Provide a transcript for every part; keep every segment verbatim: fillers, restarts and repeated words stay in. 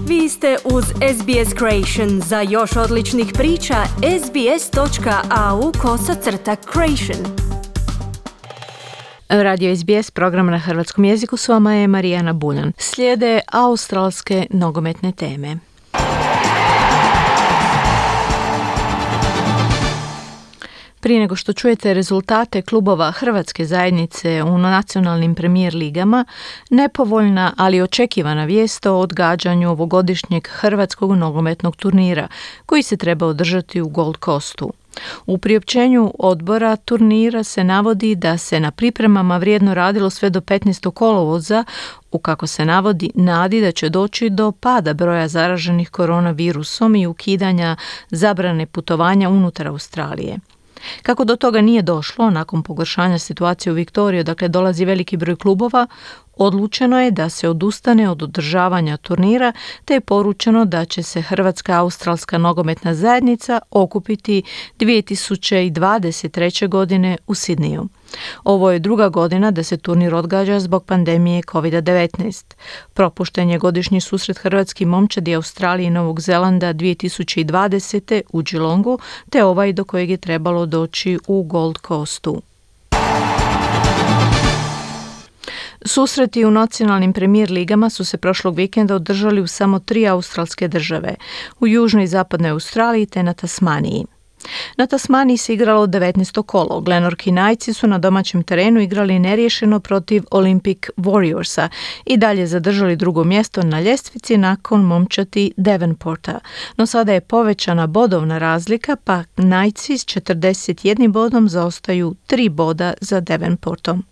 Vi ste uz S B S Creation. Za još odličnih priča, sbs.au kosacrta creation. Radio S B S, program na hrvatskom jeziku, s vama je Marijana Buljan. Slijede australske nogometne teme. Prije nego što čujete rezultate klubova Hrvatske zajednice u nacionalnim premijer ligama, nepovoljna, ali očekivana vijest o odgađanju ovogodišnjeg hrvatskog nogometnog turnira, koji se treba održati u Gold Coastu. U priopćenju odbora turnira se navodi da se na pripremama vrijedno radilo sve do petnaestog kolovoza, u kako se navodi nadi da će doći do pada broja zaraženih koronavirusom i ukidanja zabrane putovanja unutar Australije. Kako do toga nije došlo, nakon pogoršanja situacije u Viktoriji, dakle dolazi veliki broj klubova, odlučeno je da se odustane od održavanja turnira, te je poručeno da će se Hrvatska australska nogometna zajednica okupiti dvije tisuće dvadeset treće. godine u Sidniju. Ovo je druga godina da se turnir odgađa zbog pandemije kovid devetnaest. Propušten je godišnji susret hrvatskih momčadi Australije i Novog Zelanda dvije tisuće dvadesete. u Geelongu, te ovaj do kojeg je trebalo doći u Gold Coastu. Susreti u nacionalnim premijer ligama su se prošlog vikenda održali u samo tri australske države, u južnoj i zapadnoj Australiji te na Tasmaniji. Na Tasmaniji se igralo devetnaesto kolo. Glenorchy Knightsi su na domaćem terenu igrali neriješeno protiv Olympic Warriorsa i dalje zadržali drugo mjesto na ljestvici nakon momčati Devonporta. No sada je povećana bodovna razlika, pa Knightsi s četrdeset jednim bodom zaostaju tri boda za Devonportom.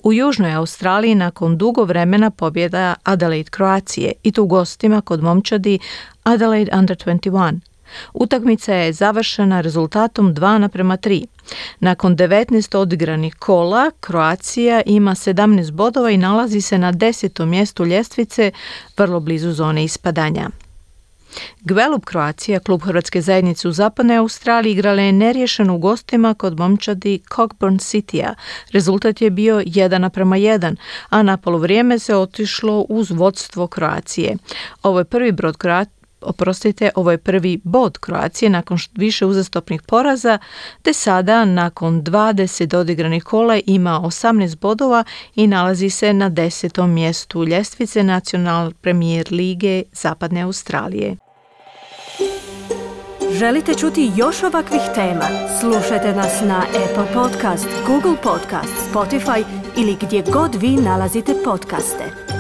U južnoj Australiji nakon dugo vremena pobjeda Adelaide Kroacije i to u gostima kod momčadi Adelaide Under dvadeset jedan. Utakmica je završena rezultatom dva naprema tri. Nakon devetnaest odigranih kola, Kroacija ima sedamnaest bodova i nalazi se na desetom mjestu ljestvice, vrlo blizu zone ispadanja. Gwelup Kroacija, klub Hrvatske zajednice u zapadnoj Australiji, igrala je neriješeno u gostima kod momčadi Cockburn Citya. Rezultat je bio jedan naprema jedan, a na poluvrijeme se otišlo uz vodstvo Kroacije. Ovo je prvi brod Kroacije Oprostite, ovo je prvi bod Kroacije nakon više uzastopnih poraza, te sada nakon dvadeset odigranih kola ima osamnaest bodova i nalazi se na desetom mjestu ljestvice Nacional Premier Lige Zapadne Australije. Želite čuti još ovakvih tema? Slušajte nas na Apple Podcast, Google Podcast, Spotify ili gdje god vi nalazite podcaste.